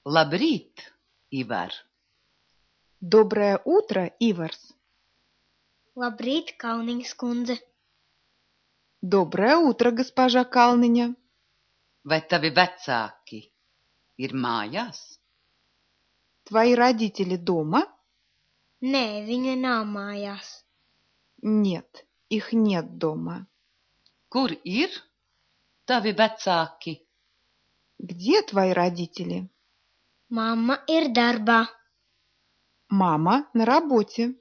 Labrīt, Ivar! Доброе утро, Иварс! Labrīt, Kalniņas kundze! Доброе утро, госпожа Kalniņa! Vai tavi vecāki ir mājās? Твои родители дома? Nē, viņa nav mājās. Нет, их нет дома. Kur ir tavi vecāki? Где твои родители? Mamma ir darbā. Мама на работе.